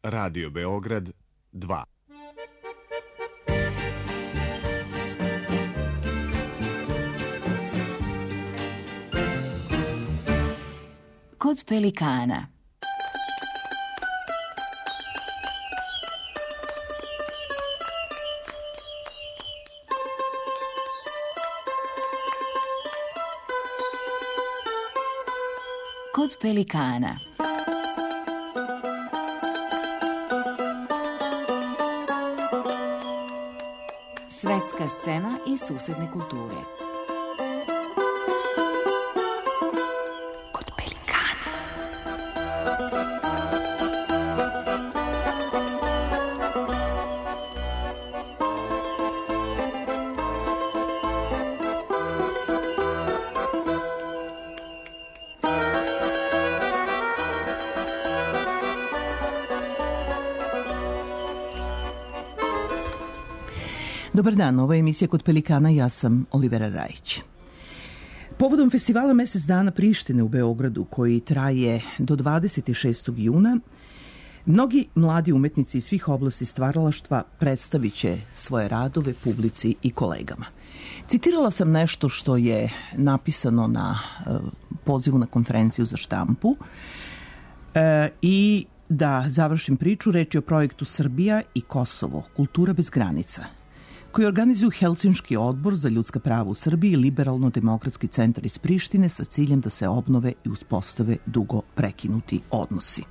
Radio Beograd 2. Kod pelikana. Kod pelikana. Svetska scena i susedne kulture. Kod pelikana. Dobar dan, ovo je emisija Kod pelikana, ja sam Olivera Rajić. Povodom festivala Mesec dana Prištine u Beogradu, koji traje do 26. juna, mnogi mladi umetnici iz svih oblasti stvaralaštva predstavit će svoje radove publici i kolegama. Citirala sam nešto što je napisano na pozivu na konferenciju za štampu i da završim priču, reč je o projektu Srbija i Kosovo, kultura bez granica, koji organizuju Helsinški odbor za ljudska prava u Srbiji i Liberalno-demokratski centar iz Prištine sa ciljem da se obnove i uspostave dugo prekinuti odnosi.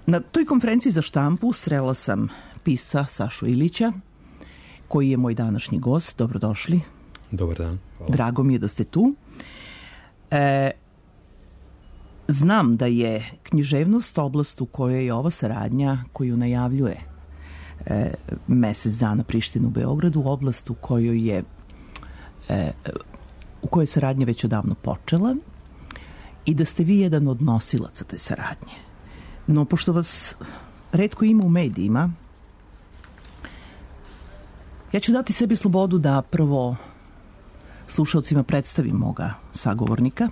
Na toj konferenciji za štampu srela sam pisca Sašu Ilića, koji je moj današnji gost. Dobrodošli. Dobar dan. Hvala. Drago mi je da ste tu. Znam da je književnost oblast u kojoj je ova saradnja koju najavljuje Mesec dana Prištine u Beogradu, oblast u kojoj je saradnja već odavno počela i da ste vi jedan od nosilaca te saradnje. No, pošto vas retko ima u medijima, ja ću dati sebi slobodu da prvo slušalcima predstavim moga sagovornika.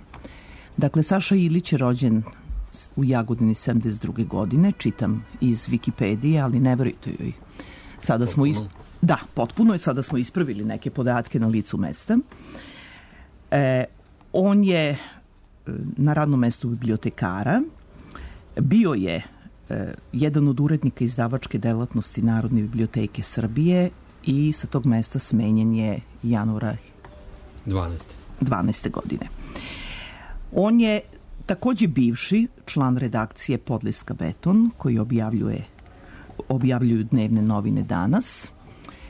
Dakle, Saša Ilić je rođen u Jagodini 72. godine, čitam iz Wikipedije, ali ne verujte joj. Sada smo potpuno je, sada smo ispravili neke podatke na licu mesta. On je na radnom mestu bibliotekara, bio je jedan od urednika izdavačke delatnosti Narodne biblioteke Srbije i sa tog mesta smenjen je januara 12. godine. On je takođe bivši član redakcije Podliska Beton, koji objavljuju dnevne novine Danas.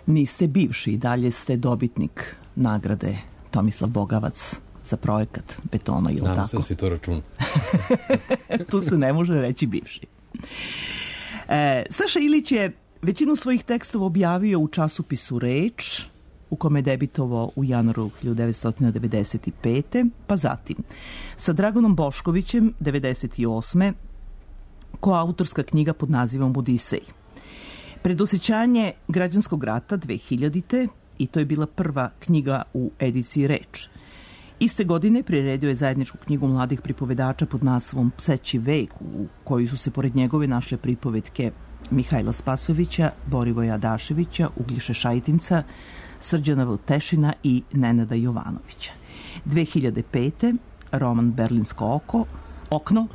Niste bivši, i dalje ste dobitnik nagrade Tomislav Bogavac za projekat Betona, ili tako? Nadam se da si to računa. Tu se ne može reći bivši. Saša Ilić je većinu svojih tekstova objavio u časopisu Reč, u kome je debitovao u januaru 1995. Pa zatim sa Dragonom Boškovićem 1998. koautorska knjiga pod nazivom Odisej. Predosećanje građanskog rata 2000. i to je bila prva knjiga u ediciji Reč. Iste godine priredio je zajedničku knjigu mladih pripovedača pod naslovom Pseći vek, u kojoj su se pored njegove našle pripovetke Mihajla Spasovića, Borivoja Adaševića, Uglješe Šajtinca, Srđana Vltešina i Nenada Jovanovića. 2005. roman Berlinsko okno,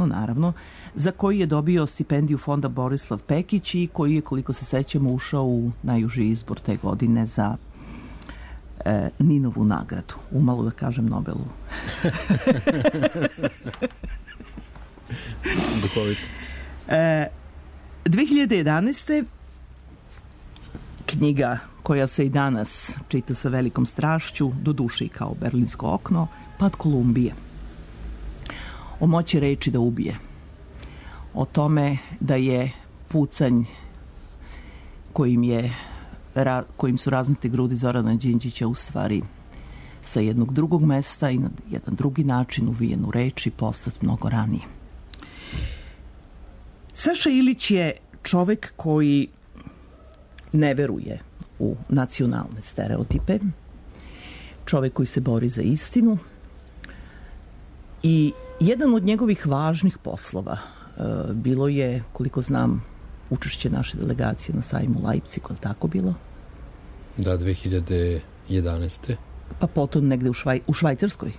naravno, za koji je dobio stipendiju fonda Borislav Pekić i koji je, koliko se sećamo, ušao u najuži izbor te godine za Ninovu nagradu. Umalo da kažem Nobelu. Duhovito. 2011. knjiga koja se i danas čita sa velikom strašću, do duše i kao Berlinsko okno, Pad Kolumbije. O moći reči da ubije. O tome da je pucanj kojim su raznete grudi Zorana Đinđića u stvari sa jednog drugog mesta i na jedan drugi način uvijen u reči postat mnogo ranije. Saša Ilić je čovek koji ne veruje u nacionalne stereotipe, čovek koji se bori za istinu i jedan od njegovih važnih poslova bilo je, koliko znam, učešće naše delegacije na sajmu u Leipzigu, je li tako bilo? Da, 2011. Pa potom negde u Švajcarskoj?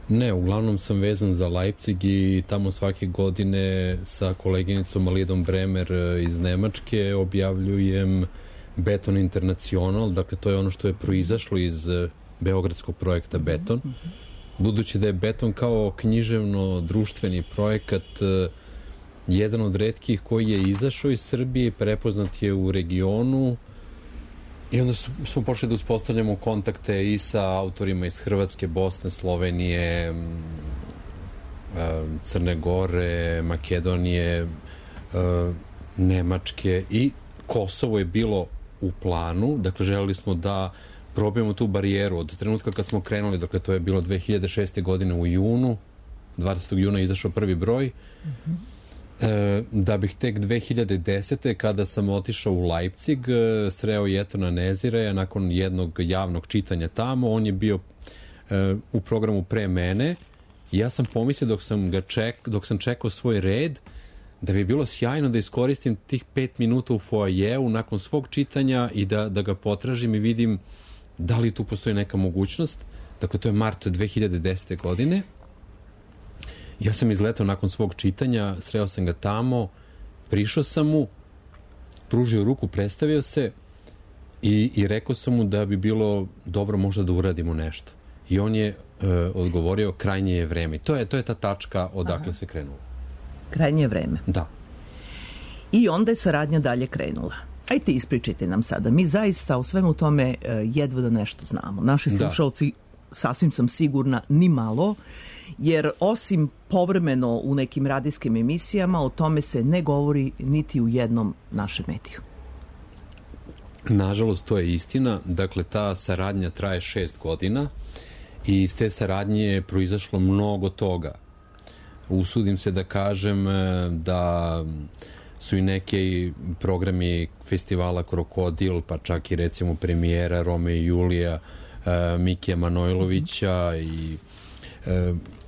Ne, uglavnom sam vezan za Leipzig i tamo svake godine sa koleginicom Alidom Bremer iz Nemačke objavljujem Beton International, dakle to je ono što je proizašlo iz beogradskog projekta Beton. Budući da je Beton kao književno-društveni projekat jedan od retkih koji je izašao iz Srbije, prepoznat je u regionu i onda smo počeli da uspostavljamo kontakte i sa autorima iz Hrvatske, Bosne, Slovenije, Crne Gore, Makedonije, Nemačke i Kosovo je bilo u planu, dakle želeli smo da probijemo tu barijeru od trenutka kad smo krenuli, dakle to je bilo 2006. godine u junu, 20. juna je izašao prvi broj, da bih tek 2010. kada sam otišao u Leipzig sreo Jetona Nezireja nakon jednog javnog čitanja tamo, on je bio u programu pre mene i ja sam pomislio dok sam čekao svoj red da bi je bilo sjajno da iskoristim tih 5 minuta u foajeu nakon svog čitanja i da ga potražim i vidim da li tu postoji neka mogućnost. Dakle, to je mart 2010. godine. Ja sam izletao nakon svog čitanja, sreo sam ga tamo, prišao sam mu, pružio ruku, predstavio se i rekao sam mu da bi bilo dobro možda da uradimo nešto. I on je odgovorio krajnje je vreme. To je ta tačka odakle se krenulo. Krajnje je vreme. Da. I onda je saradnja dalje krenula. Ajte, ispričajte nam sada. Mi zaista o svemu tome jedva da nešto znamo. Naši slušalci, sasvim sam sigurna, ni malo, jer osim povremeno u nekim radijskim emisijama, o tome se ne govori niti u jednom našem mediju. Nažalost, to je istina. Dakle, ta saradnja traje 6 godina i iz te saradnje je proizašlo mnogo toga. Usudim se da kažem da su i neki programi festivala Krokodil, pa čak i recimo premijera Rome i Julija Mikija Manojlovića i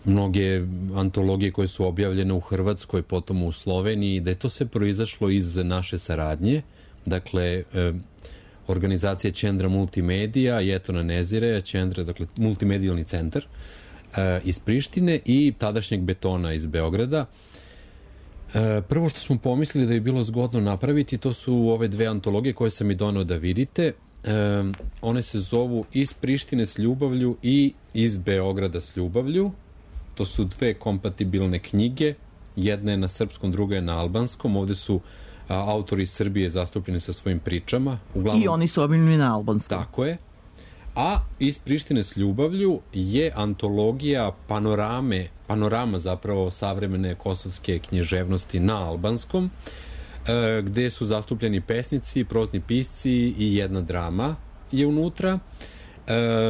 mnoge antologije koje su objavljene u Hrvatskoj, potom u Sloveniji, da je to sve proizašlo iz naše saradnje. Dakle, organizacija Čendra Multimedija, Jetona Nezireja, Čendra, dakle, multimedijalni centar iz Prištine i tadašnjeg Betona iz Beograda. Prvo što smo pomislili da bi bilo zgodno napraviti, to su ove dve antologije koje sam i donao da vidite. One se zovu Iz Prištine s ljubavlju i Iz Beograda s ljubavlju. To su dve kompatibilne knjige. Jedna je na srpskom, druga je na albanskom. Ovde su autori iz Srbije zastupljeni sa svojim pričama. Uglavnom, i oni su objavljeni na albanskom. Tako je. A Iz Prištine s ljubavlju je antologija panorama zapravo savremene kosovske književnosti na albanskom, gde su zastupljeni pesnici, prozni pisci i jedna drama je unutra.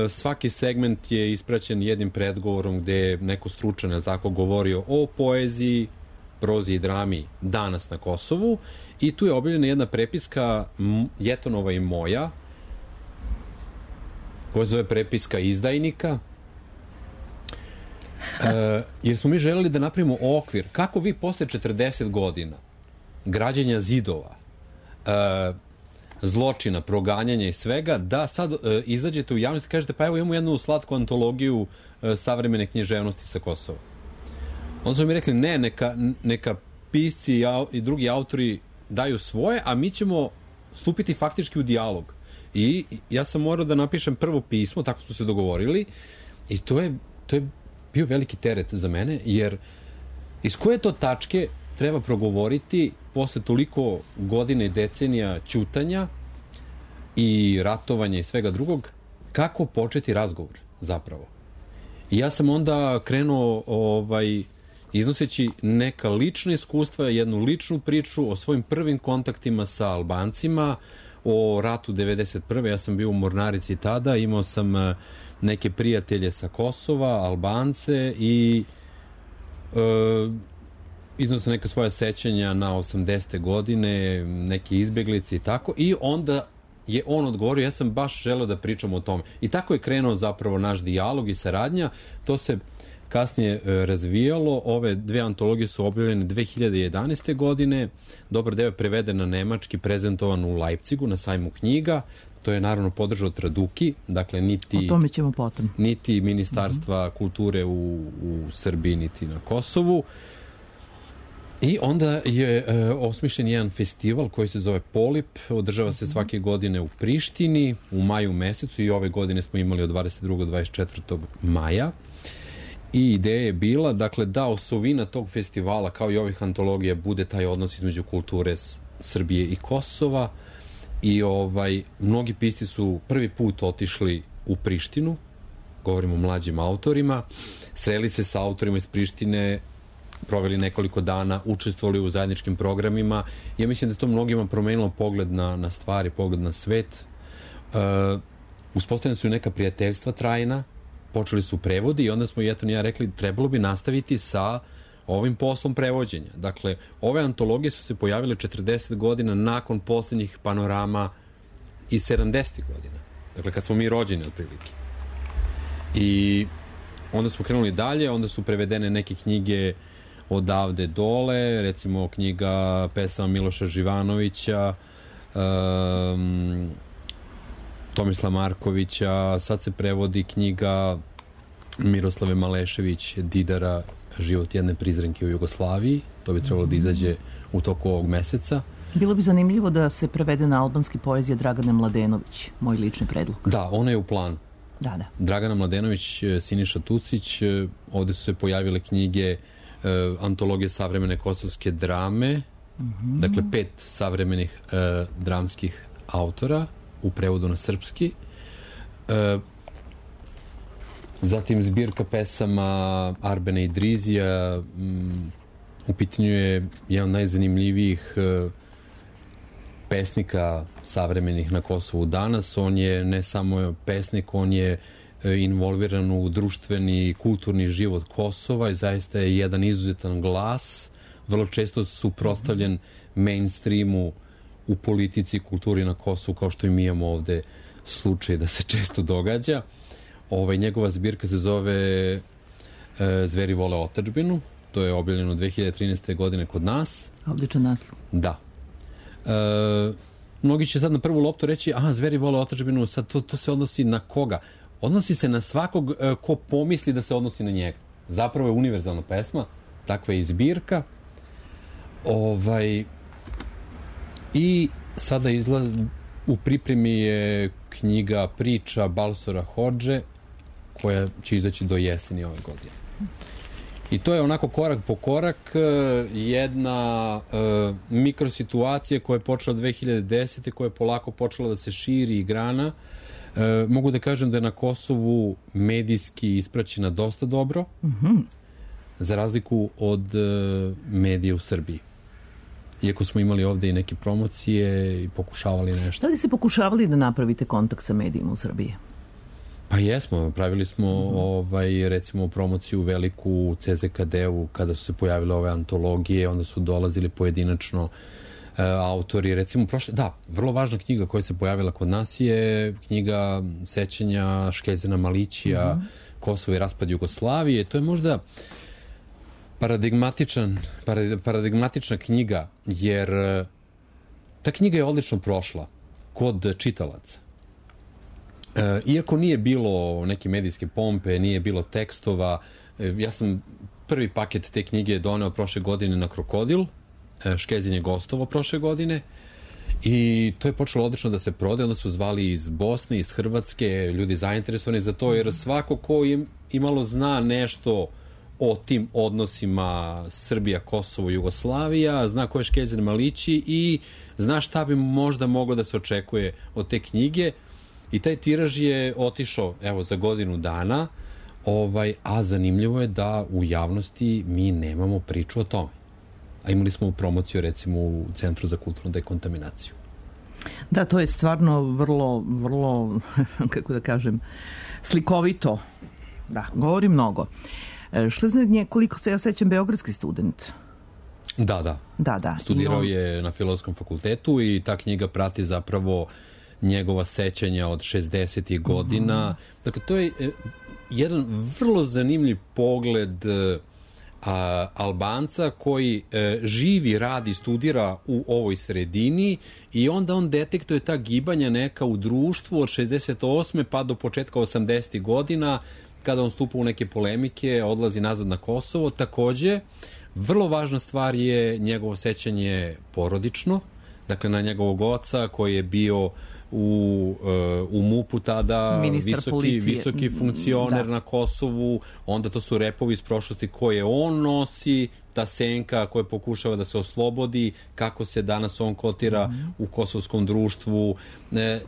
Svaki segment je ispraćen jednim predgovorom gde je neko stručan, je li tako, govorio o poeziji, prozi i drami danas na Kosovu i tu je objavljena jedna prepiska Jetonova i moja, koja zove prepiska izdajnika, jer smo mi želeli da napravimo okvir kako vi posle 40 godina građenja zidova, zločina, proganjanja i svega, da sad izađete u javnost i kažete pa evo imamo jednu slatku antologiju savremene književnosti sa Kosova. Onda smo mi rekli ne, neka pisci i drugi autori daju svoje, a mi ćemo stupiti faktički u dijalog. I ja sam morao da napišem prvo pismo, tako smo se dogovorili, i to je bio veliki teret za mene, jer iz koje to tačke treba progovoriti posle toliko godine i decenija ćutanja i ratovanja i svega drugog, kako početi razgovor zapravo. I ja sam onda krenuo iznoseći neka lična iskustva, jednu ličnu priču o svojim prvim kontaktima sa Albancima, o ratu 91. Ja sam bio u Mornarici tada, imao sam neke prijatelje sa Kosova, Albance i iznose neka svoja sećanja na 80. godine, neke izbeglice i tako, i onda je on odgovorio, ja sam baš želeo da pričam o tome. I tako je krenuo zapravo naš dijalog i saradnja. To se kasnije razvijalo. Ove dve antologije su objavljene 2011. godine. Dobar deo je preveden na nemački, prezentovan u Leipzigu na sajmu knjiga. To je naravno podržao Traduki, dakle o tome ćemo potom. Niti Ministarstva kulture u Srbiji, niti na Kosovu. I onda je osmišljen jedan festival koji se zove Polip, održava se svake godine u Prištini, u maju mesecu, i ove godine smo imali od 22. do 24. maja. I ideja je bila, dakle, da osovina tog festivala, kao i ovih antologija, bude taj odnos između kulture Srbije i Kosova. I mnogi pisci su prvi put otišli u Prištinu, govorimo o mlađim autorima, sreli se sa autorima iz Prištine, proveli nekoliko dana, učestvovali u zajedničkim programima. Ja mislim da to mnogima promenilo pogled na stvari, pogled na svet. Uspostavljene su neka prijateljstva trajna, počeli su prevodi i onda smo Jeton i ja rekli trebalo bi nastaviti sa ovim poslom prevođenja. Dakle, ove antologije su se pojavile 40 godina nakon posljednjih panorama iz 70. godina. Dakle, kad smo mi rođeni otprilike. I onda smo krenuli dalje, onda su prevedene neke knjige odavde dole, recimo knjiga pesama Miloša Živanovića, Tomislava Markovića, sad se prevodi knjiga Miroslave Malešević Didara Život jedne prizrenke u Jugoslaviji. To bi trebalo da izađe u toku ovog meseca. Bilo bi zanimljivo da se prevede na albanski poezija Dragane Mladenović, moj lični predlog. Da, ona je u planu. Da. Dragana Mladenović, Siniša Tucić, ovde su se pojavile knjige antologije savremene kosovske drame, dakle 5 savremenih dramskih autora u prevodu na srpski. Zatim zbirka pesama Arbena Idrizija, u pitanju je jedan od najzanimljivijih pesnika savremenih na Kosovu danas. On je ne samo pesnik, on je involviran u društveni i kulturni život Kosova i zaista je jedan izuzetan glas, vrlo često suprotstavljen mainstreamu u politici i kulturi na Kosovu, kao što i mi imamo ovde slučaj da se često događa. Njegova zbirka se zove Zveri vole otadžbinu. To je objavljeno 2013. godine kod nas. Odličan naslov. Da. Mnogi će sad na prvu loptu reći, Zveri vole otadžbinu, sad to se odnosi na koga? Odnosi se na svakog ko pomisli da se odnosi na njega. Zapravo je univerzalna pesma, takva je i zbirka. I sada u pripremi je knjiga priča Balsora Hodže, koja će izaći do jeseni ove godine. I to je onako korak po korak jedna mikrosituacija koja je počela 2010. koja je polako počela da se širi i grana. Mogu da kažem da je na Kosovu medijski ispraćena dosta dobro, za razliku od medija u Srbiji. Iako smo imali ovde i neke promocije i pokušavali nešto. Da li ste pokušavali da napravite kontakt sa medijima u Srbiji? Pa jesmo, pravili smo recimo promociju veliku u CZKD-u kada su se pojavile ove antologije, onda su dolazili pojedinačno autori, recimo vrlo važna knjiga koja se pojavila kod nas je knjiga sećanja Škezena Malićija, Kosovo i raspad Jugoslavije. To je možda paradigmatična knjiga, jer ta knjiga je odlično prošla kod čitalaca. Iako nije bilo neke medijske pompe, nije bilo tekstova, ja sam prvi paket te knjige doneo prošle godine na Krokodil, Škezin je gostovao prošle godine i to je počelo odlično da se prode, onda su zvali iz Bosne, iz Hrvatske, ljudi zainteresovani za to, jer svako ko imalo zna nešto o tim odnosima Srbija, Kosovo, Jugoslavija, zna ko je Škezin Malići i zna šta bi možda moglo da se očekuje od te knjige. I taj tiraž je otišao, za godinu dana, a zanimljivo je da u javnosti mi nemamo priču o tome. A imali smo promociju, recimo, u Centru za kulturnu dekontaminaciju. Da, to je stvarno vrlo, kako da kažem, slikovito. Da, govori mnogo. Što je koliko se ja sećam, beogradski student? Da. Studirao je na Filozofskom fakultetu i ta knjiga prati zapravo njegova sećanja od 60. godina. Dakle, to je jedan vrlo zanimljiv pogled Albanca koji živi, radi, studira u ovoj sredini i onda on detektuje ta gibanja neka u društvu od 68. pa do početka 80. godina, kada on stupa u neke polemike, odlazi nazad na Kosovo. Takođe, vrlo važna stvar je njegovo sećanje porodično, dakle na njegovog oca koji je bio u MUP-u tada, visoki funkcioner na Kosovu, onda to su repovi iz prošlosti koje on nosi, ta senka koja pokušava da se oslobodi, kako se danas on kotira u kosovskom društvu.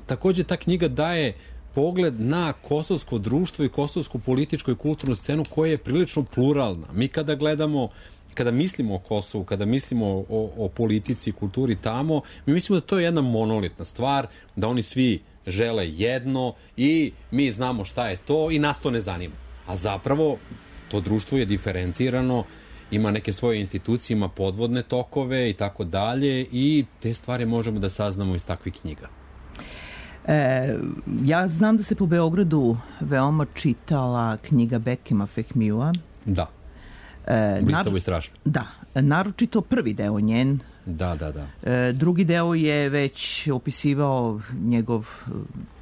Takođe, ta knjiga daje pogled na kosovsko društvo i kosovsku političku i kulturnu scenu koja je prilično pluralna. Mi kada mislimo o Kosovu, kada mislimo o politici i kulturi tamo, mi mislimo da to je jedna monolitna stvar, da oni svi žele jedno i mi znamo šta je to i nas to ne zanima. A zapravo to društvo je diferencirano, ima neke svoje institucije, ima podvodne tokove i tako dalje i te stvari možemo da saznamo iz takvih knjiga. Ja znam da se po Beogradu veoma čitala knjiga Bekima Fehmija. Da. Blistavo i strašno. Da, naročito prvi deo njen. Da. Drugi deo je već opisivao njegov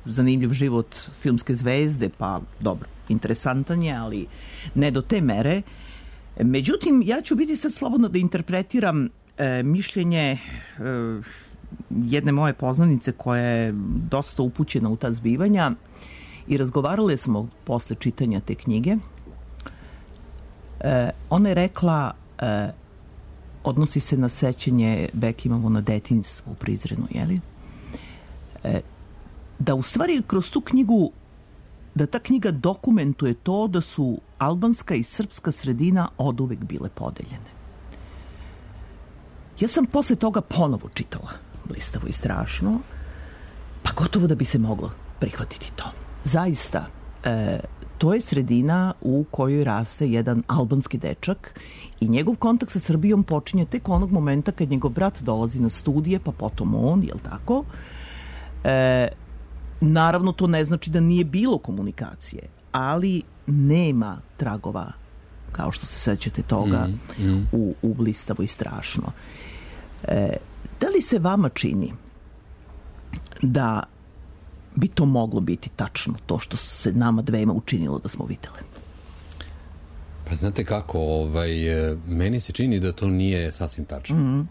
zanimljiv život filmske zvezde, pa dobro, interesantan je, ali ne do te mere. Međutim, ja ću biti sad slobodno da interpretiram mišljenje jedne moje poznanice koja je dosta upućena u ta zbivanja i razgovarali smo posle čitanja te knjige. Ona je rekla, odnosi se na sećanje Bekimovo na detinjstvo u Prizrenu, jeli? Da u stvari kroz tu knjigu, da ta knjiga dokumentuje to da su albanska i srpska sredina oduvek bile podeljene. Ja sam posle toga ponovo čitala Blistavo i strašno, pa gotovo da bi se moglo prihvatiti to. Zaista, to je sredina u kojoj raste jedan albanski dečak i njegov kontakt sa Srbijom počinje tek onog momenta kad njegov brat dolazi na studije, pa potom on, jel tako? Naravno, to ne znači da nije bilo komunikacije, ali nema tragova, kao što se sećate toga, u Blistavo i strašno. Da li se vama čini da bi to moglo biti tačno, to što se nama dvema učinilo da smo videle? Pa znate kako, meni se čini da to nije sasvim tačno.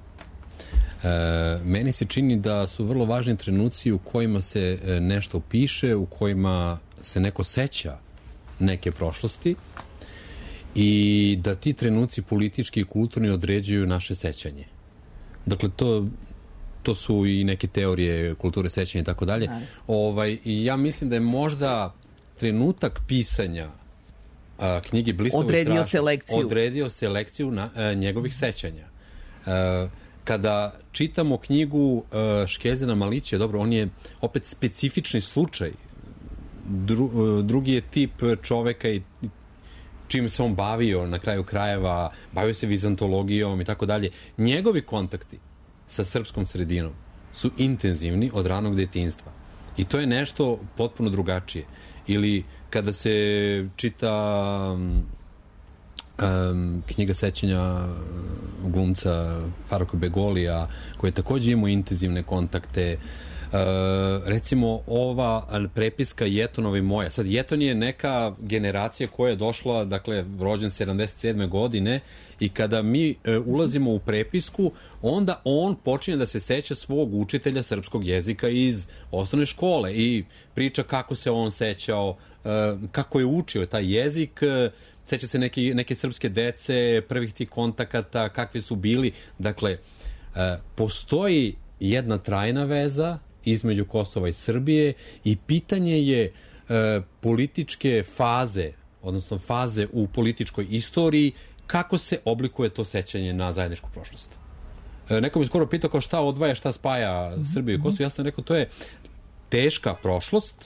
Meni se čini da su vrlo važni trenuci u kojima se nešto piše, u kojima se neko seća neke prošlosti i da ti trenuci politički i kulturni određuju naše sećanje. Dakle, to su i neke teorije kulture sećanja i tako dalje. I ja mislim da je možda trenutak pisanja knjige Blistavo i strašno odredio selekciju njegovih sećanja. Kada čitamo knjigu Škezina Malića, dobro, on je opet specifični slučaj. Drugi je tip čoveka i čim se on bavio na kraju krajeva, bavio se vizantologijom i tako dalje. Njegovi kontakti sa srpskom sredinom su intenzivni od ranog detinjstva. I to je nešto potpuno drugačije. Ili kada se čita knjiga sećanja glumca Faruka Begolija, koji je takođe imao intenzivne kontakte. Recimo ova prepiska Jetonova i moja. Sad, Jeton je neka generacija koja je došla, dakle, rođen 77. godine i kada mi ulazimo u prepisku, onda on počinje da se seća svog učitelja srpskog jezika iz osnovne škole i priča kako se on sećao, kako je učio taj jezik, seća se neke srpske dece, prvih tih kontakata, kakvi su bili. Dakle, postoji jedna trajna veza između Kosova i Srbije i pitanje je političke faze, odnosno faze u političkoj istoriji, kako se oblikuje to sećanje na zajedničku prošlost. Neko mi skoro pitao kao šta odvaja, šta spaja Srbiju i Kosovo. Ja sam rekao, to je teška prošlost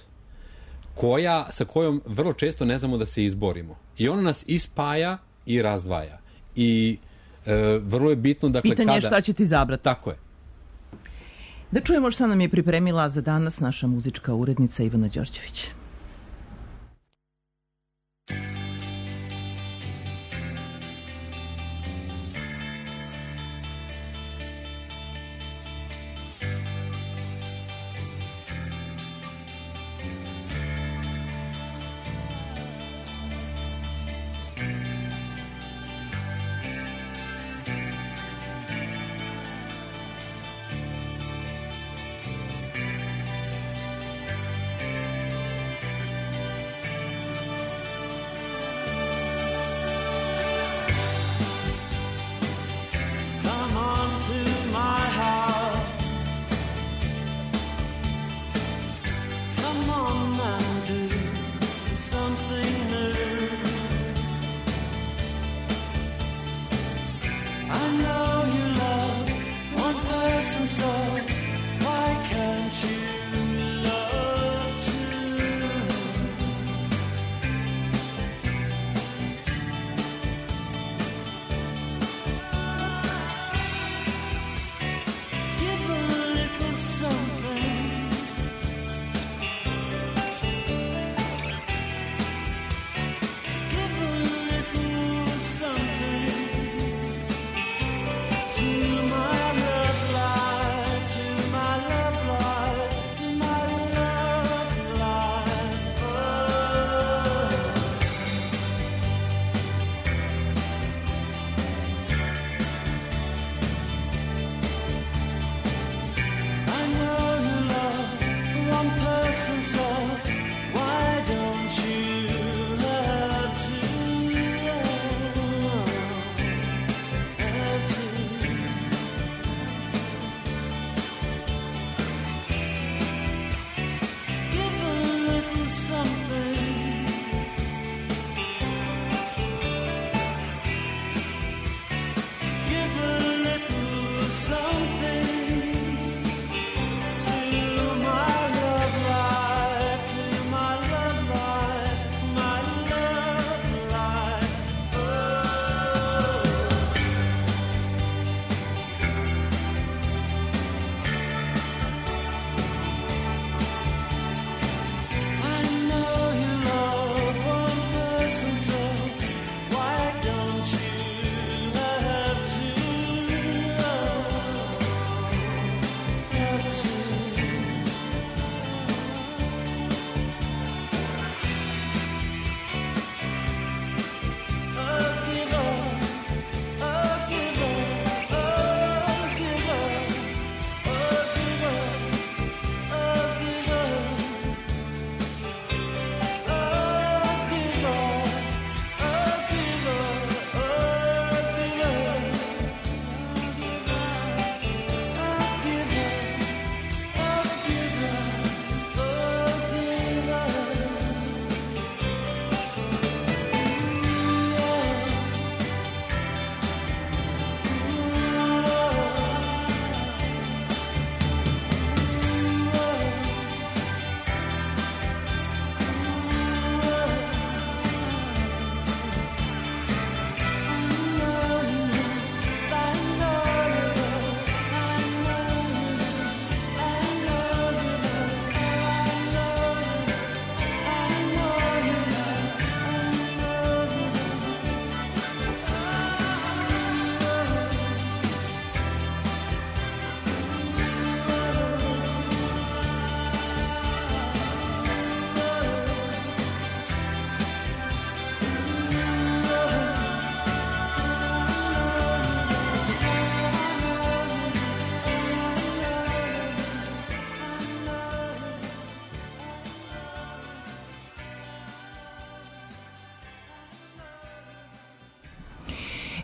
sa kojom vrlo često ne znamo da se izborimo. I ona nas i spaja i razdvaja. I vrlo je bitno, dakle, pitanje je šta će ti izabrati. Tako je. Da čujemo šta nam je pripremila za danas naša muzička urednica Ivana Đorđević.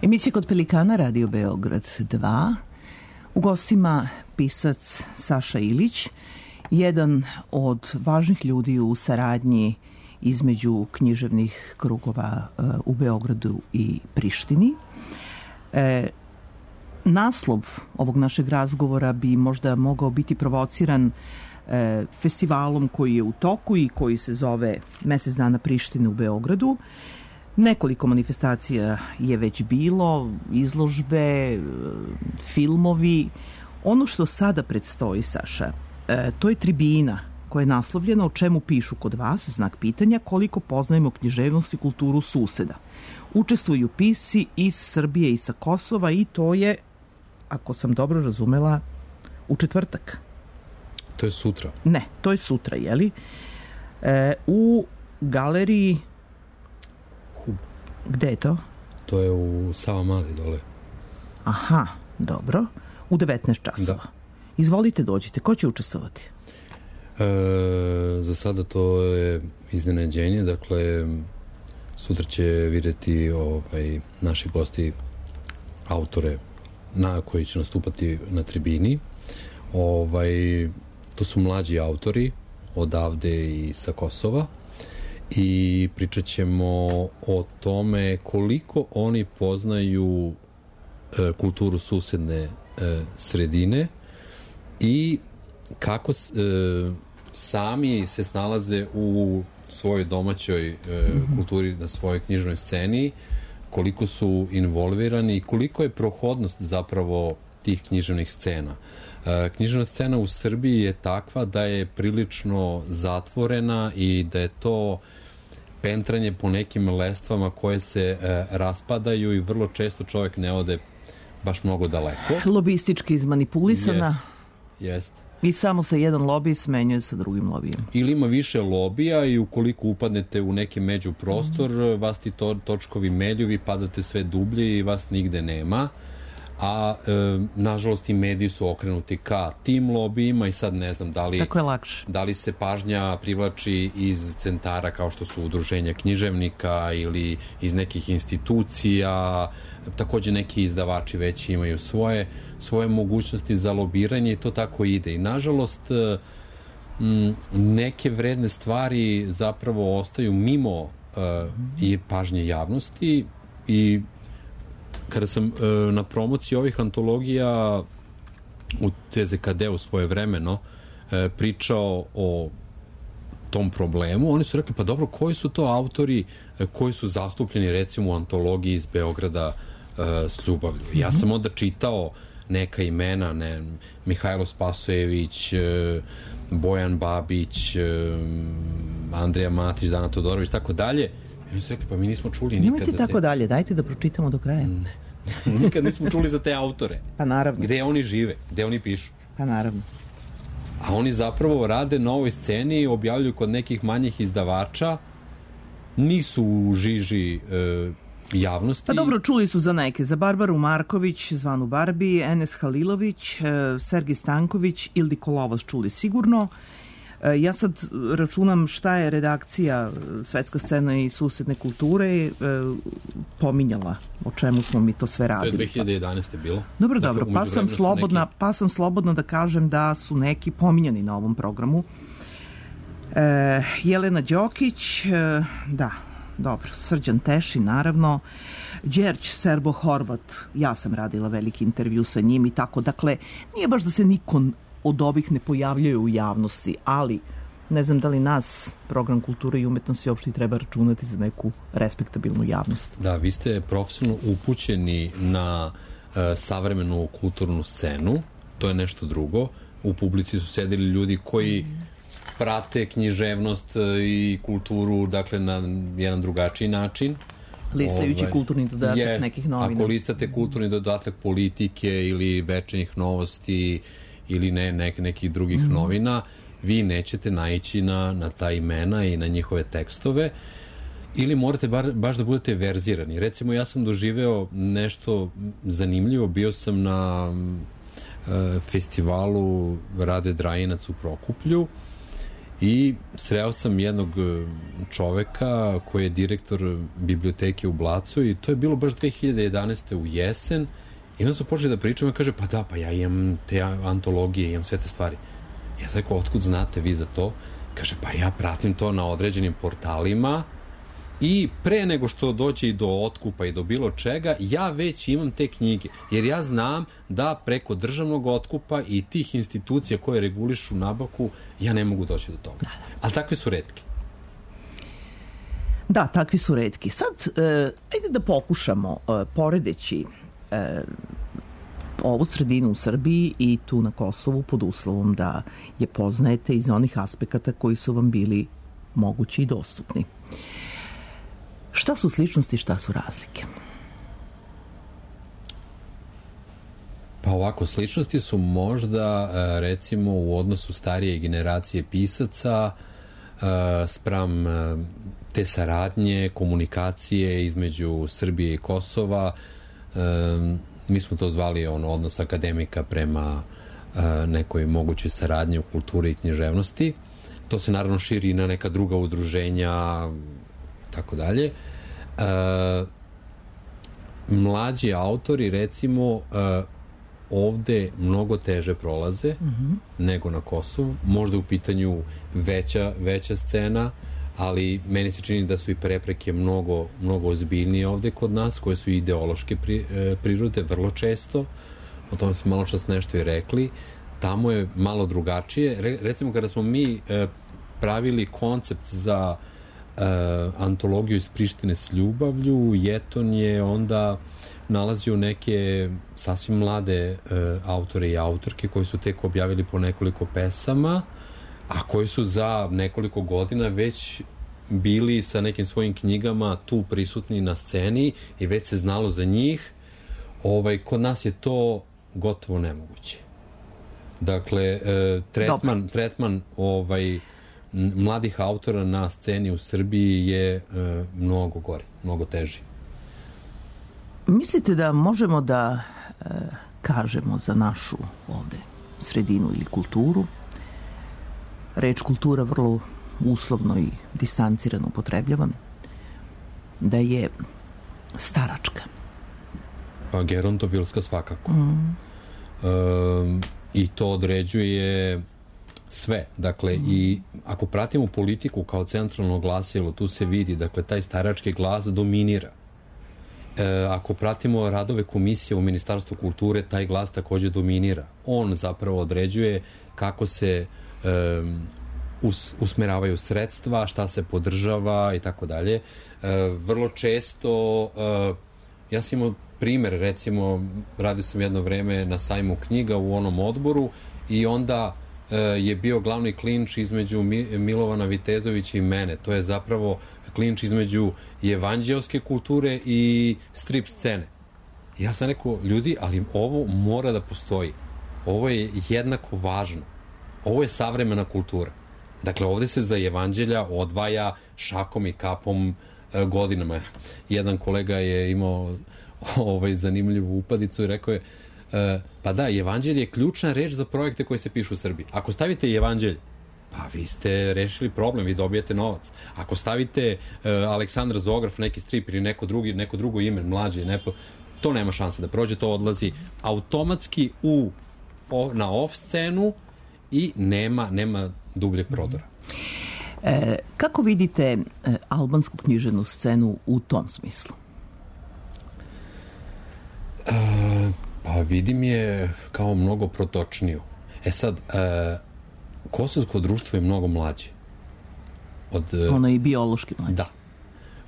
Emisija Kod Pelikana, Radio Beograd 2. U gostima pisac Saša Ilić, jedan od važnih ljudi u saradnji između književnih krugova u Beogradu i Prištini. Naslov ovog našeg razgovora bi možda mogao biti provociran festivalom koji je u toku i koji se zove Mesec dana Prištine u Beogradu. Nekoliko manifestacija je već bilo, izložbe, filmovi Ono što sada predstoji, Saša, to je tribina koja je naslovljena o čemu pišu kod vas, znak pitanja, koliko poznajemo književnost i kulturu suseda. Učestvuju pisci iz Srbije i sa Kosova i to je, ako sam dobro razumela, u četvrtak. To je sutra. Ne, to je sutra, jeli? U galeriji... Gde je to? To je u Savamali dole. Aha, dobro. U 19 časova. Da. Izvolite, dođite. Ko će učestvovati? Za sada to je iznenađenje. Dakle, sutra će vidjeti naši gosti, autore koji će nastupati na tribini. To su mlađi autori odavde i sa Kosova i pričat ćemo o tome koliko oni poznaju kulturu susedne sredine i kako sami se snalaze u svojoj domaćoj kulturi, na svojoj knjižnoj sceni, koliko su involvirani i koliko je prohodnost zapravo tih književnih scena. Književna scena u Srbiji je takva da je prilično zatvorena i da je to pentranje po nekim lestvama koje se raspadaju i vrlo često čovjek ne ode baš mnogo daleko. Lobistički izmanipulisana. Jest. I samo se jedan lobij smenjuje sa drugim lobijem. Ili ima više lobija i ukoliko upadnete u neki međuprostor, vas ti točkovi melju, vi padate sve dublje i vas nigde nema. A nažalost i mediji su okrenuti ka tim lobijima i sad ne znam da li se pažnja privlači iz centara kao što su udruženja književnika ili iz nekih institucija. Takođe neki izdavači već imaju svoje mogućnosti za lobiranje i to tako ide. I nažalost neke vredne stvari zapravo ostaju mimo i pažnje javnosti i kada sam na promociji ovih antologija u CZKD-u svojevremeno pričao o tom problemu, oni su rekli, pa dobro, koji su to autori koji su zastupljeni recimo u antologiji iz Beograda s ljubavlju? Ja sam onda čitao neka imena, Mihajlo Spasojević, Bojan Babić, Andrija Matić, Dana Todorović, tako dalje. I oni su rekli, pa mi nismo čuli nikad za te... Nemojte tako dalje, dajte da pročitamo do kraja. Nikad nismo čuli za te autore. Pa naravno. Gde oni žive, gde oni pišu. Pa naravno. A oni zapravo rade na ovoj sceni, objavljuju kod nekih manjih izdavača, nisu u žiži javnosti. Pa dobro, čuli su za neke. Za Barbaru Marković, zvanu Barbi, Enes Halilović, Sergij Stanković, Ildiko Lovac čuli sigurno. Ja sad računam šta je redakcija Svetska scena i susedne kulture pominjala, o čemu smo mi to sve radili. To je 2011. bilo. Dobro, dakle, pa sam slobodna da kažem da su neki pominjani na ovom programu. Jelena Đokić, da, dobro, Srđan Tešin, naravno, Đerć Serbo-Horvat, ja sam radila veliki intervju sa njim i tako, dakle, nije baš da se niko od ovih ne pojavljaju u javnosti, ali ne znam da li nas, program kulture i umetnosti, uopšte treba računati za neku respektabilnu javnost. Da, vi ste profesionalno upućeni na savremenu kulturnu scenu, to je nešto drugo. U publici su sedeli ljudi koji prate književnost i kulturu, dakle, na jedan drugačiji način. Listajući kulturni dodatak nekih novina. Ako listate kulturni dodatak politike ili večernjih novosti ili nekih drugih novina, vi nećete naići na ta imena i na njihove tekstove ili morate baš da budete verzirani. Recimo, ja sam doživeo nešto zanimljivo, bio sam na festivalu Rade Drajinac u Prokuplju i sreo sam jednog čoveka koji je direktor biblioteke u Blacu i to je bilo baš 2011. u jesen. I onda su počeli da pričamo i kaže, pa da, pa ja imam te antologije, imam sve te stvari. Ja sam rekao, otkud znate vi za to? Kaže, pa ja pratim to na određenim portalima i pre nego što dođe i do otkupa i do bilo čega, ja već imam te knjige. Jer ja znam da preko državnog otkupa i tih institucija koje regulišu nabavku, ja ne mogu doći do toga. Ali takvi su retki. Da, takvi su retki. Sad, ajde da pokušamo, poredeći ovu sredinu u Srbiji i tu na Kosovu pod uslovom da je poznajete iz onih aspekata koji su vam bili mogući i dostupni. Šta su sličnosti, šta su razlike? Pa ovako, sličnosti su možda recimo u odnosu starije generacije pisaca spram te saradnje, komunikacije između Srbije i Kosova. Mi smo to zvali odnos akademika prema nekoj mogućoj saradnji u kulturi i književnosti. To se naravno širi i na neka druga udruženja, tako dalje. Mlađi autori, recimo, ovde mnogo teže prolaze nego na Kosovu. Možda u pitanju veća scena, ali meni se čini da su i prepreke mnogo ozbiljnije ovde kod nas, koje su ideološke prirode, vrlo često. O tome smo malo čas nešto i rekli. Tamo je malo drugačije. Recimo, kada smo mi pravili koncept za antologiju iz Prištine s ljubavlju, Jeton je onda nalazio neke sasvim mlade autore i autorke koji su tek objavili po nekoliko pesama, a koji su za nekoliko godina već bili sa nekim svojim knjigama tu prisutni na sceni i već se znalo za njih. Kod nas je to gotovo nemoguće. Dakle, tretman mladih autora na sceni u Srbiji je mnogo gori, mnogo teži. Mislite da možemo da kažemo za našu ovde sredinu ili kulturu? Reč kultura vrlo uslovno i distancirano upotrebljavam, da je staračka. Pa gerontovilska svakako. I to određuje sve. Dakle, i ako pratimo politiku kao centralno glasilo, tu se vidi, dakle, taj starački glas dominira. Ako pratimo radove komisije u Ministarstvu kulture, taj glas takođe dominira. On zapravo određuje kako se usmeravaju sredstva, šta se podržava i tako dalje. Vrlo često, ja sam imao primer, recimo, radio sam jedno vreme na sajmu knjiga u onom odboru i onda je bio glavni klinč između Milovana Vitezovića i mene. To je zapravo klinč između evanđeoske kulture i strip scene. Ja sam rekao, ljudi, ali ovo mora da postoji. Ovo je jednako važno. Ovo je savremena kultura. Dakle, ovde se za evanđelja odvaja šakom i kapom godinama. Jedan kolega je imao zanimljivu upadicu i rekao je, pa da, evanđelje je ključna reč za projekte koje se pišu u Srbiji. Ako stavite evanđelje, pa vi ste rešili problem, vi dobijete novac. Ako stavite Aleksandra Zograf, neki strip ili neko drugo ime, mlađe, to nema šanse da prođe, to odlazi automatski na off scenu i nema dubljeg prodora. Kako vidite albansku književnu scenu u tom smislu? Pa vidim je kao mnogo protočniju. Sad, kosovsko društvo je mnogo mlađe. Ono je i biološki mlađe. Da.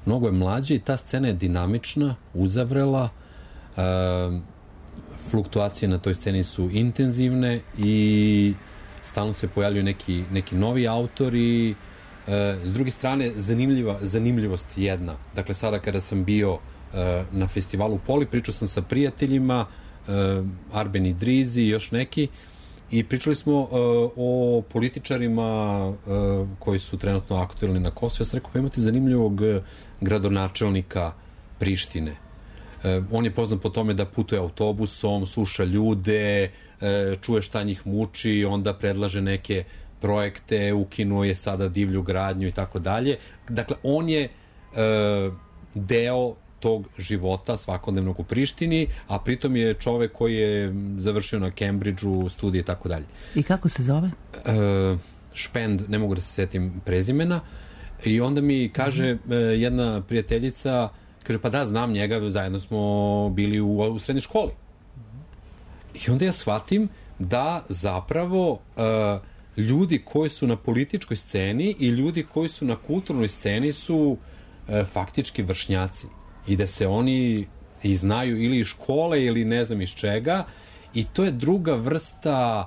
Mnogo je mlađe i ta scena je dinamična, uzavrela, fluktuacije na toj sceni su intenzivne i stalno se pojavljuju neki novi autori. S druge strane, zanimljivost jedna. Dakle, sada kada sam bio na festivalu Poli, pričao sam sa prijateljima, Arben Idrizi i još neki, i pričali smo o političarima koji su trenutno aktuelni na Kosovu. Ja sam rekao, pa imate zanimljivog gradonačelnika Prištine. On je poznat po tome da putuje autobusom, sluša ljude, čuje šta njih muči, onda predlaže neke projekte, ukinuo je sada divlju gradnju i tako dalje. Dakle, on je deo tog života svakodnevnog u Prištini, a pritom je čovek koji je završio na Cambridgeu studije i tako dalje. I kako se zove? Špend, ne mogu da se setim prezimena. I onda mi kaže jedna prijateljica, kaže, pa da, znam njega, zajedno smo bili u srednjoj školi. I onda ja shvatim da zapravo ljudi koji su na političkoj sceni i ljudi koji su na kulturnoj sceni su faktički vršnjaci i da se oni i znaju ili iz škole ili ne znam iz čega I to je druga vrsta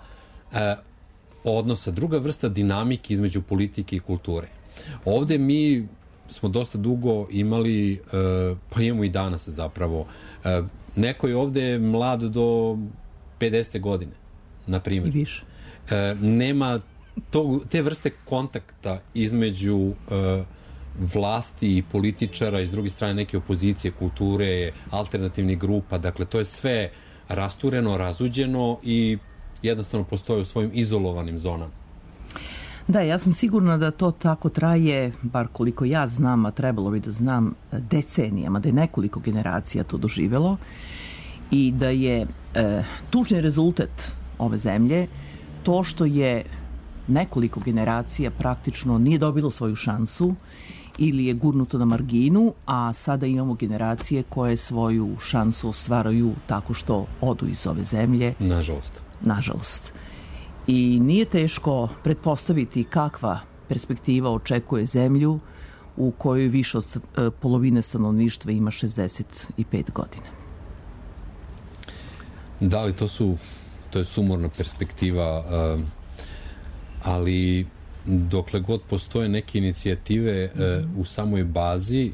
odnosa, druga vrsta dinamike između politike i kulture. Ovde mi smo dosta dugo imali, pa imamo i danas zapravo, neko je ovde mlad do 50. godine, na primjer. I više. Nema te vrste kontakta između vlasti i političara i s druge strane neke opozicije, kulture, alternativnih grupa. Dakle, to je sve rastureno, razuđeno i jednostavno postoje u svojim izolovanim zonama. Da, ja sam sigurna da to tako traje, bar koliko ja znam, a trebalo bi da znam, decenijama, da je nekoliko generacija to doživelo i da je tužni rezultat ove zemlje to što je nekoliko generacija praktično nije dobilo svoju šansu ili je gurnuto na marginu, a sada imamo generacije koje svoju šansu ostvaraju tako što odu iz ove zemlje. Nažalost. Nažalost. I nije teško pretpostaviti kakva perspektiva očekuje zemlju u kojoj više od polovine stanovništva ima 65 godina. Da, ali to je sumorna perspektiva, ali dokle god postoje neke inicijative u samoj bazi,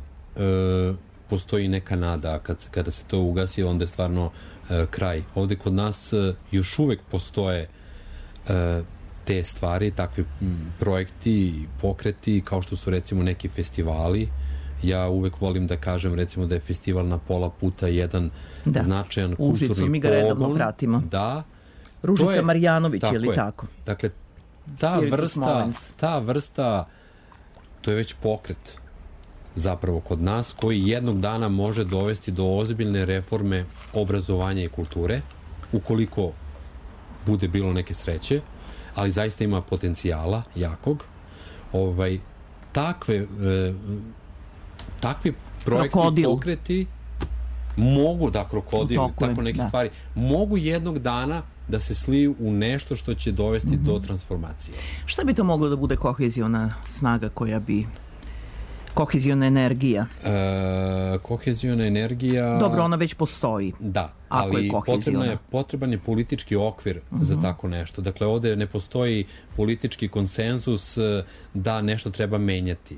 postoji neka nada, a kada se to ugasi, onda je stvarno kraj. Ovde kod nas još uvek postoje te stvari, takvi projekti, pokreti, kao što su recimo neki festivali. Ja uvek volim da kažem recimo da je festival na pola puta jedan značajan kulturni pogon. Mi ga redovno pratimo. Da. Ružica Marjanović, je li tako? Dakle, ta vrsta, to je već pokret zapravo kod nas, koji jednog dana može dovesti do ozbiljne reforme obrazovanja i kulture, ukoliko bude bilo neke sreće, ali zaista ima potencijala jakog. Takvi projekti i pokreti mogu, da, krokodil, tako neke stvari, mogu jednog dana da se sliju u nešto što će dovesti do transformacije. Šta bi to moglo da bude koheziona snaga koja bi... Koheziona energija? Koheziona energija... Dobro, ona već postoji. Da, ali potreban je politički okvir za tako nešto. Dakle, ovde ne postoji politički konsenzus da nešto treba menjati.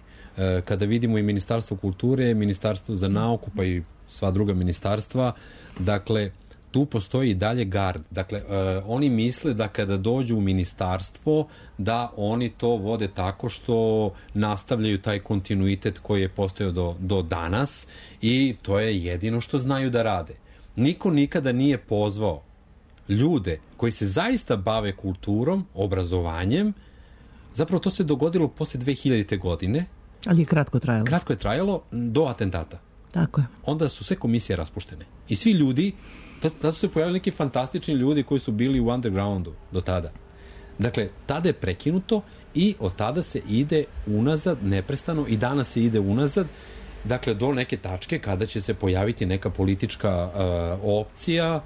Kada vidimo i Ministarstvo kulture, Ministarstvo za nauku, pa i sva druga ministarstva, dakle, tu postoji i dalje gard. Dakle, oni misle da kada dođu u ministarstvo, da oni to vode tako što nastavljaju taj kontinuitet koji je postojao do danas i to je jedino što znaju da rade. Niko nikada nije pozvao ljude koji se zaista bave kulturom, obrazovanjem. Zapravo to se dogodilo posle 2000. godine. Ali je kratko trajalo. Kratko je trajalo do atentata. Tako je. Onda su sve komisije raspuštene. I svi ljudi, tada su se pojavili neki fantastični ljudi koji su bili u undergroundu do tada. Dakle, tada je prekinuto i od tada se ide unazad neprestano i danas se ide unazad, dakle, do neke tačke kada će se pojaviti neka politička opcija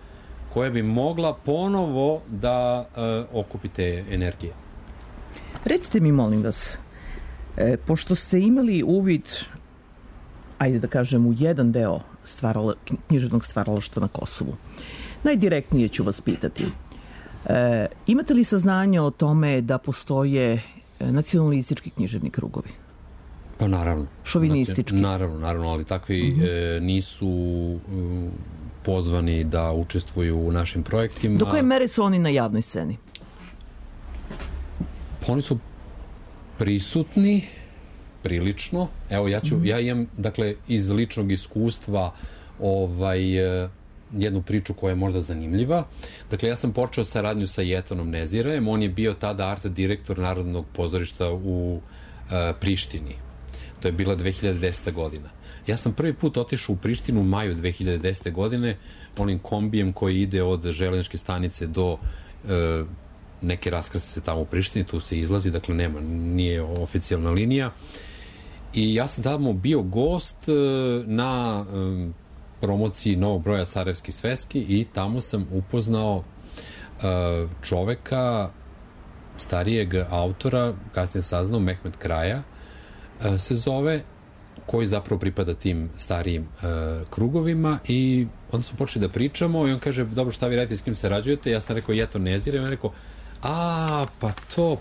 koja bi mogla ponovo da okupi te energije. Recite mi, molim vas, pošto ste imali uvid, ajde da kažem, u jedan deo književnog stvaralaštva na Kosovu, najdirektnije ću vas pitati. Imate li saznanje o tome da postoje nacionalistički književni krugovi? Pa naravno. Šovinistički? Naravno, ali takvi nisu pozvani da učestvuju u našim projektima. Do koje mere su oni na javnoj sceni? Oni su prisutni prilično. Evo, ja imam, dakle, iz ličnog iskustva jednu priču koja je možda zanimljiva. Dakle, ja sam počeo saradnju sa Jetonom Nezirajem. On je bio tada art direktor Narodnog pozorišta u Prištini. To je bila 2010. godina. Ja sam prvi put otišao u Prištinu u maju 2010. godine onim kombijem koji ide od železničke stanice do neke raskrsnice tamo u Prištini, tu se izlazi, dakle nije oficijalna linija. I ja sam tamo bio gost na promociji novog broja Sarajevski sveski i tamo sam upoznao čoveka, starijeg autora, kasnije saznao, Mehmet Kraja se zove, koji zapravo pripada tim starijim krugovima i onda smo počeli da pričamo i on kaže, dobro, šta vi radite, s kim sarađujete? Ja sam rekao, ja to ne ziram. I on rekao,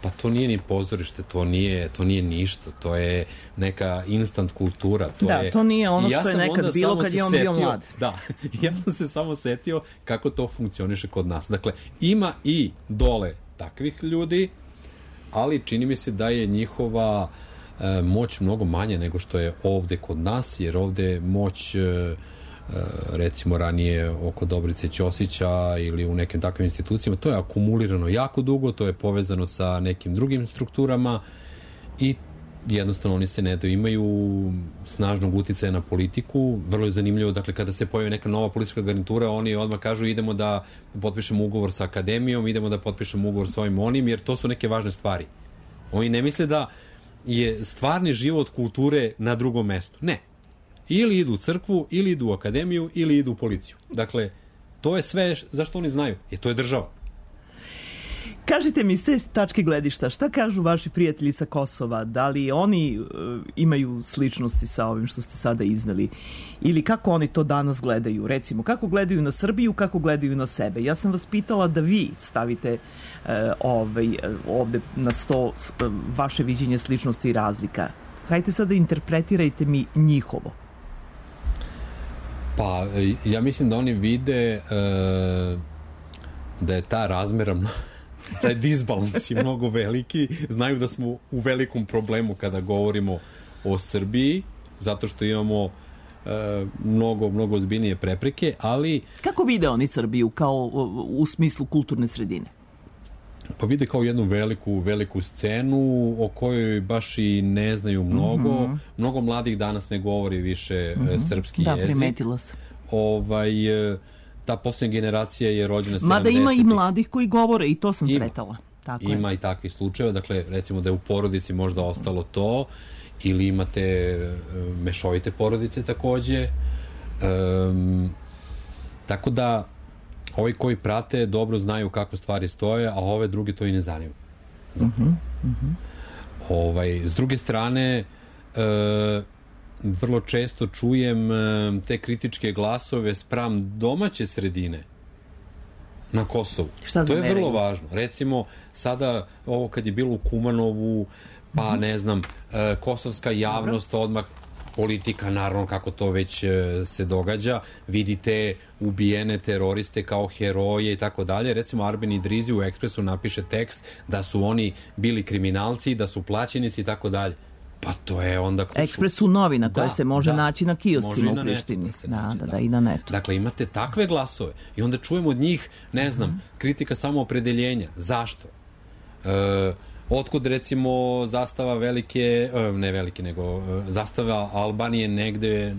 pa to nije ni pozorište, to nije ništa, to je neka instant kultura. To nije ono što je nekad bilo kad je on bio mlad. Da, ja sam se samo setio kako to funkcioniše kod nas. Dakle, ima i dole takvih ljudi, ali čini mi se da je njihova moć mnogo manje nego što je ovde kod nas, jer ovde moć recimo ranije oko Dobrice Ćosića ili u nekim takvim institucijama, to je akumulirano jako dugo, to je povezano sa nekim drugim strukturama i jednostavno oni se ne daju, imaju snažnog uticaja na politiku. Vrlo je zanimljivo, dakle, kada se pojavi neka nova politička garnitura, oni odmah kažu idemo da potpišemo ugovor sa akademijom, idemo da potpišemo ugovor sa ovim onim, jer to su neke važne stvari. Oni ne misle da je stvarni život kulture na drugom mestu. Ne. Ili idu u crkvu, ili idu u akademiju, ili idu u policiju. Dakle, to je sve zašto oni znaju, jer to je država. Kažite mi, s te tačke gledišta, šta kažu vaši prijatelji sa Kosova? Da li oni imaju sličnosti sa ovim što ste sada iznali? Ili kako oni to danas gledaju? Recimo, kako gledaju na Srbiju, kako gledaju na sebe? Ja sam vas pitala da vi stavite ovde na sto vaše viđenje sličnosti i razlika. Hajde sad da interpretirajte mi njihovo. Pa, ja mislim da oni vide da je ta razmera, taj disbalans je mnogo veliki. Znaju da smo u velikom problemu kada govorimo o Srbiji, zato što imamo mnogo ozbiljnije prepreke, ali... Kako vide oni Srbiju kao u smislu kulturne sredine? Pa vide kao jednu veliku scenu o kojoj baš i ne znaju mnogo. Mnogo mladih danas ne govori više srpski jezik. Da, primetila se. Ta posljednja generacija je rođena 70. Mada ima i mladih koji govore i to sam sretala. Ima i takvih slučajeva. Dakle, recimo da je u porodici možda ostalo to, ili imate mešovite porodice takođe. Tako da ovi koji prate dobro znaju kako stvari stoje, a ove druge to i ne zanima. S druge strane, vrlo često čujem te kritičke glasove spram domaće sredine na Kosovu. To je vrlo važno. Recimo, sada ovo kad je bilo u Kumanovu, pa ne znam, kosovska javnost odmah, politika, naravno, kako to već se događa, vidite ubijene teroriste kao heroje i tako dalje. Recimo, Arben Idrizi u Ekspresu napiše tekst da su oni bili kriminalci, da su plaćenici i tako dalje. Pa to je onda... Ekspres su novina koja se može naći na kioscima u Prištini. Da, i na netu. Dakle, imate takve glasove i onda čujemo od njih, ne znam, kritika samoopredeljenja. Zašto? Otkud, recimo, zastava zastava Albanije negde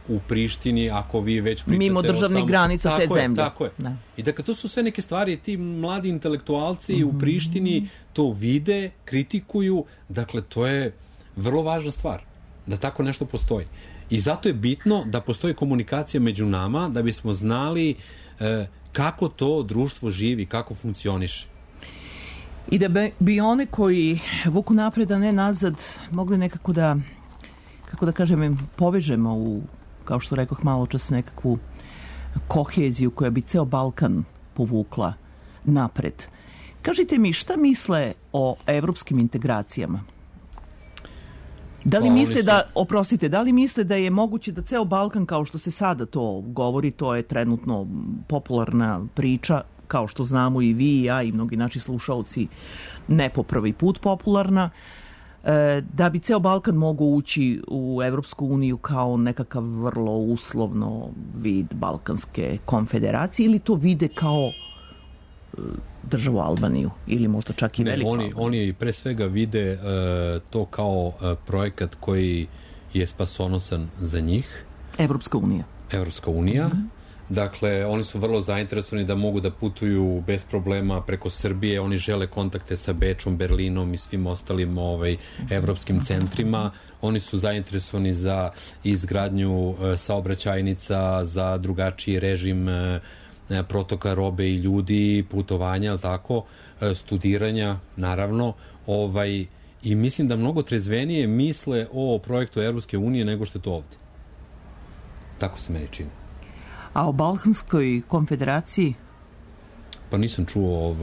u Prištini, ako vi već pričate mimo državnih granica te zemlje. Tako je. I dakle, to su sve neke stvari, ti mladi intelektualci u Prištini to vide, kritikuju, dakle, to je vrlo važna stvar, da tako nešto postoji. I zato je bitno da postoji komunikacija među nama, da bismo znali kako to društvo živi, kako funkcioniše. I da bi one koji vuku napred, a ne nazad, mogli nekako da, kako da kažem, povežemo u, kao što rekoh malo čas, nekakvu koheziju koja bi ceo Balkan povukla napred. Kažite mi, šta misle o evropskim integracijama? Da li misle da je moguće da ceo Balkan, kao što se sada to govori, to je trenutno popularna priča, kao što znamo i vi i ja i mnogi naši slušalci, ne po prvi put popularna, da bi ceo Balkan mogao ući u Evropsku uniju kao nekakav vrlo uslovno vid Balkanske konfederacije, ili to vide kao državu Albaniju ili možda čak i veliku Albaniju? Oni pre svega vide to kao projekat koji je spasonosan za njih. Evropska unija. Dakle, oni su vrlo zainteresovani da mogu da putuju bez problema preko Srbije, oni žele kontakte sa Bečom, Berlinom i svim ostalim evropskim centrima. Oni su zainteresovani za izgradnju saobraćajnica, za drugačiji režim protoka robe i ljudi, putovanja, studiranja, naravno. I mislim da mnogo trezvenije misle o projektu Evropske unije nego što je to ovde. Tako se meni čini. A o Balkanskoj konfederaciji? Pa nisam čuo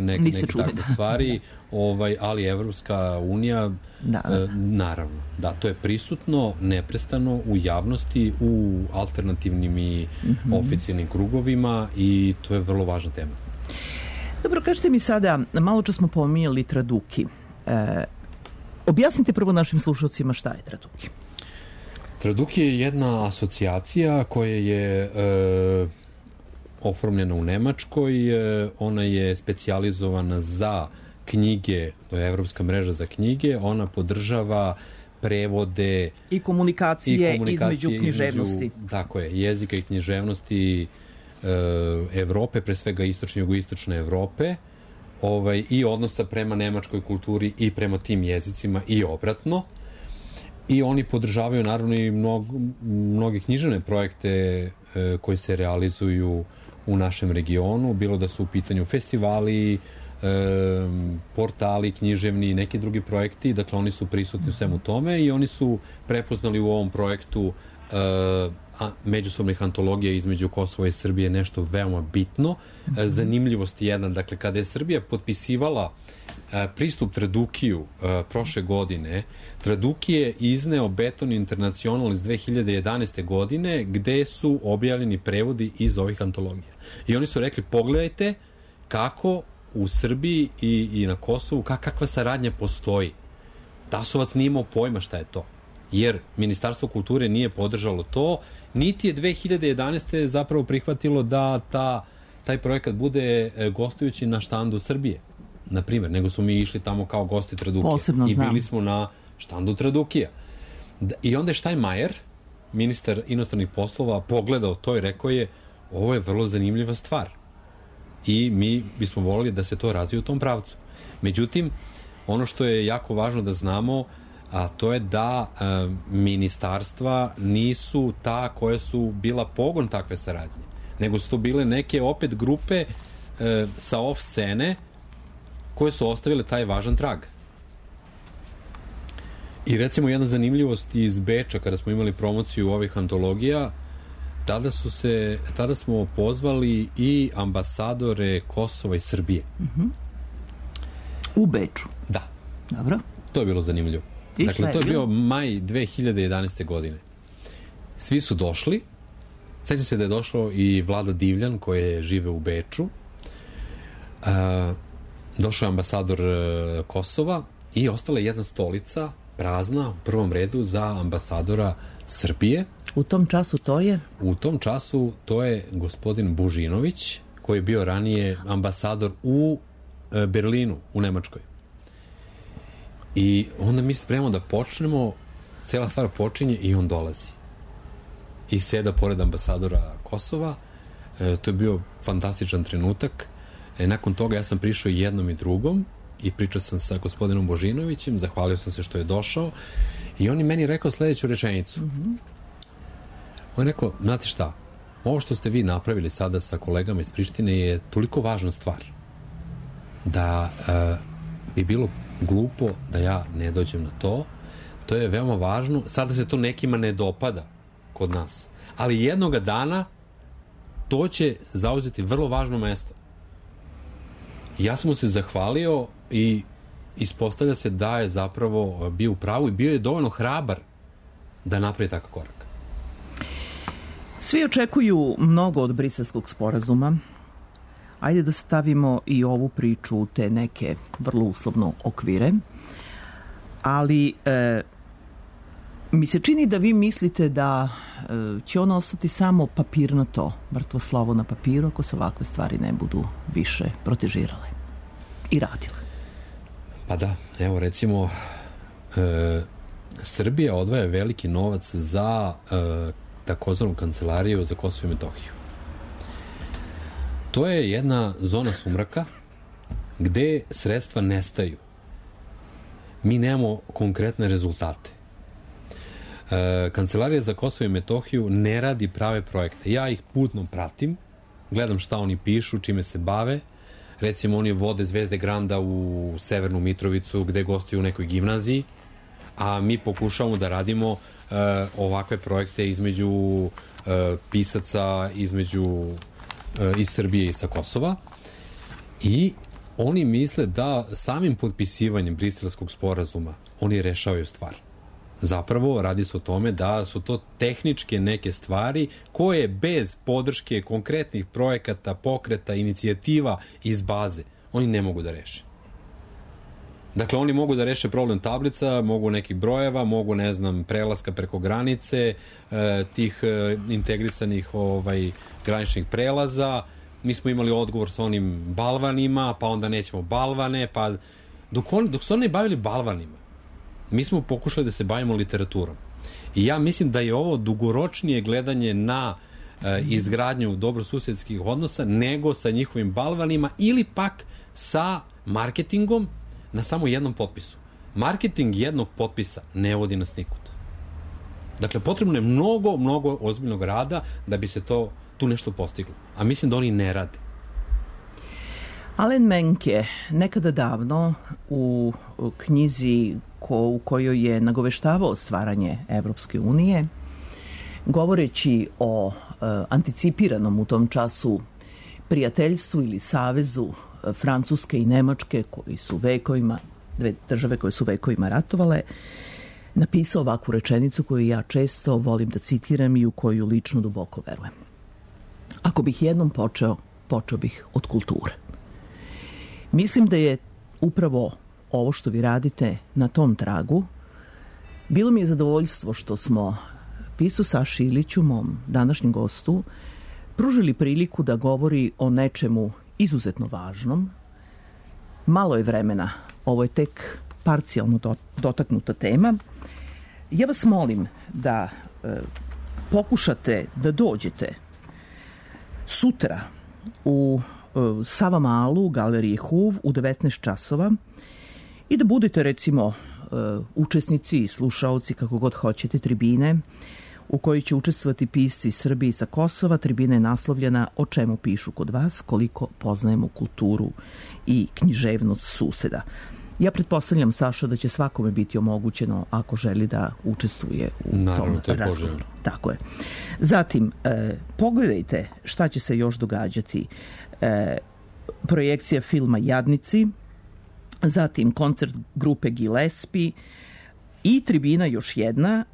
neke takve stvari, ali Evropska unija, naravno, da, to je prisutno neprestano u javnosti, u alternativnim i oficijalnim krugovima i to je vrlo važna tema. Dobro, kažete mi sada, malo čas smo pominjali Traduki. Objasnite prvo našim slušalcima šta je Traduki. Traduki je jedna asocijacija koja je oformljena u Nemačkoj. Ona je specijalizovana za knjige, to je Evropska mreža za knjige. Ona podržava prevode i komunikacije između književnosti. Tako je, jezika i književnosti Evrope, pre svega istočne i jugoistočne Evrope, i odnosa prema nemačkoj kulturi i prema tim jezicima i obratno. I oni podržavaju naravno i mnoge književne projekte koji se realizuju u našem regionu, bilo da su u pitanju festivali, portali, književni i neki drugi projekti. Dakle, oni su prisutni u svemu tome i oni su prepoznali u ovom projektu međusobnih antologija između Kosova i Srbije nešto veoma bitno. Zanimljivost je jedna, dakle, kada je Srbija potpisivala pristup Tradukiju prošle godine, Traduki je izneo Beton International iz 2011. godine gde su objavljeni prevodi iz ovih antologija. I oni su rekli, pogledajte kako u Srbiji i na Kosovu, kakva saradnja postoji. Tasovac nije imao pojma šta je to, jer Ministarstvo kulture nije podržalo to, niti je 2011. zapravo prihvatilo da taj projekat bude gostujući na štandu Srbije, na primjer, nego su mi išli tamo kao gosti Tradukija. Posebno znam. I bili smo na štandu Tradukija. I onda je Steinmeier, ministar inostranih poslova, pogledao to i rekao je, ovo je vrlo zanimljiva stvar. I mi bismo volili da se to razvije u tom pravcu. Međutim, ono što je jako važno da znamo, a to je da ministarstva nisu ta koja su bila pogon takve saradnje, nego su to bile neke opet grupe sa off scene koje su ostavile taj važan trag. I recimo jedna zanimljivost iz Beča, kada smo imali promociju ovih antologija, tada smo pozvali i ambasadore Kosova i Srbije. U Beču? Da. Dobro. To je bilo zanimljivo. Dakle, to je bio maj 2011. godine. Svi su došli. Sjećam se da je došao i Vlada Divljan, koji žive u Beču. Došao je ambasador Kosova i ostala je jedna stolica prazna u prvom redu za ambasadora Srbije. U tom času to je? U tom času to je gospodin Božinović, koji je bio ranije ambasador u Berlinu, u Nemačkoj. I onda mi spremamo da počnemo, cela stvar počinje i on dolazi. I seda pored ambasadora Kosova. To je bio fantastičan trenutak. Nakon toga ja sam prišao jednom i drugom i pričao sam sa gospodinom Božinovićem, zahvalio sam se što je došao i on je meni rekao sledeću rečenicu. On je rekao, znate šta, ovo što ste vi napravili sada sa kolegama iz Prištine je toliko važna stvar da bi bilo glupo da ja ne dođem na to. To je veoma važno. Sada se to nekima ne dopada kod nas. Ali jednoga dana to će zauzeti vrlo važno mesto. Ja sam mu se zahvalio i ispostavlja se da je zapravo bio u pravu i bio je dovoljno hrabar da napravi takav korak. Svi očekuju mnogo od Briselskog sporazuma. Ajde da stavimo i ovu priču u te neke vrlo uslovno okvire. Ali mi se čini da vi mislite da će ono ostati samo papirnato, mrtvo slovo na papiru, ako se ovakve stvari ne budu više protežirale i radile. Pa da, evo recimo Srbija odvaja veliki novac za takozvanu kancelariju za Kosovo i Metohiju. To je jedna zona sumraka gde sredstva nestaju. Mi nemamo konkretne rezultate. Kancelarija za Kosovo i Metohiju ne radi prave projekte. Ja ih putno pratim, gledam šta oni pišu, čime se bave. Recimo, oni vode Zvezde Granda u Severnu Mitrovicu, gde gostuju u nekoj gimnaziji, a mi pokušavamo da radimo ovakve projekte između pisaca, iz Srbije i sa Kosova, i oni misle da samim potpisivanjem Briselskog sporazuma oni rešavaju stvar. Zapravo radi se o tome da su to tehničke neke stvari koje bez podrške konkretnih projekata, pokreta, inicijativa iz baze oni ne mogu da reše. Dakle, oni mogu da reše problem tablica, mogu nekih brojeva, mogu, ne znam, prelaska preko granice, tih integrisanih graničnih prelaza. Mi smo imali odgovor sa onim balvanima, pa onda nećemo balvane, pa dok su oni bavili balvanima, mi smo pokušali da se bavimo literaturom. I ja mislim da je ovo dugoročnije gledanje na izgradnju dobrosusedskih odnosa nego sa njihovim balvanima ili pak sa marketingom na samo jednom potpisu. Marketing jednog potpisa ne vodi nas nikud. Dakle, potrebno je mnogo ozbiljnog rada da bi se tu nešto postiglo. A mislim da oni ne rade. Alen Menke nekada davno u knjizi u kojoj je nagoveštavao stvaranje Evropske unije, govoreći o anticipiranom u tom času prijateljstvu ili savezu Francuske i Nemačke, koji su vekovima, dve države koje su vekovima ratovale, napisao ovakvu rečenicu koju ja često volim da citiram i u koju lično duboko verujem. Ako bih jednom počeo bih od kulture. Mislim da je upravo ovo što vi radite na tom tragu. Bilo mi je zadovoljstvo što smo pisu Saši Iliću, mom današnjem gostu, pružili priliku da govori o nečemu izuzetno važnom. Malo je vremena, ovo je tek parcijalno dotaknuta tema. Ja vas molim da pokušate da dođete sutra u Savamalu, u galeriji Huv, u 19 časova i da budete, recimo, učesnici i slušaoci, kako god hoćete, tribine u kojoj će učestvovati pisci Srbije i sa Kosova. Tribina je naslovljena O čemu pišu kod vas, koliko poznajemo kulturu i književnost suseda. Ja pretpostavljam, Saša, da će svakome biti omogućeno ako želi da učestvuje u tom razgovoru. Tako je. Zatim, pogledajte šta će se još događati. Projekcija filma Jadnici, zatim koncert grupe Gillespie i tribina još jedna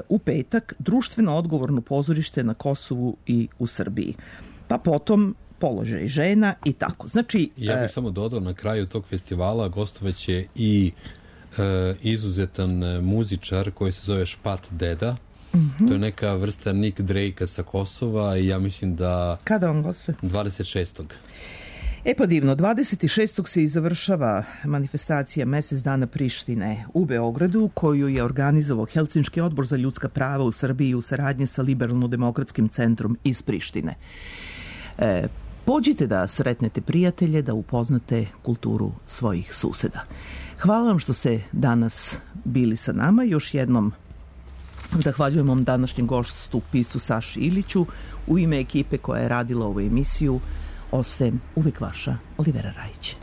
u petak, društveno odgovorno pozorište na Kosovu i u Srbiji. Pa potom položaj žena i tako. Znači, ja bih samo dodao, na kraju tog festivala gostovaće i izuzetan muzičar koji se zove Špat Deda. To je neka vrsta Nick Drake-a sa Kosova i ja mislim da... Kada on gostuje? 26. Pa divno, 26. se i završava manifestacija Mesec dana Prištine u Beogradu, koju je organizovao Helsinški odbor za ljudska prava u Srbiji u saradnji sa Liberalno-demokratskim centrom iz Prištine. Pođite da sretnete prijatelje, da upoznate kulturu svojih suseda. Hvala vam što ste danas bili sa nama. Još jednom zahvaljujem vam današnjem gostu, pisu Saši Iliću. U ime ekipe koja je radila ovu emisiju, ostajem uvek vaša Olivera Rajić.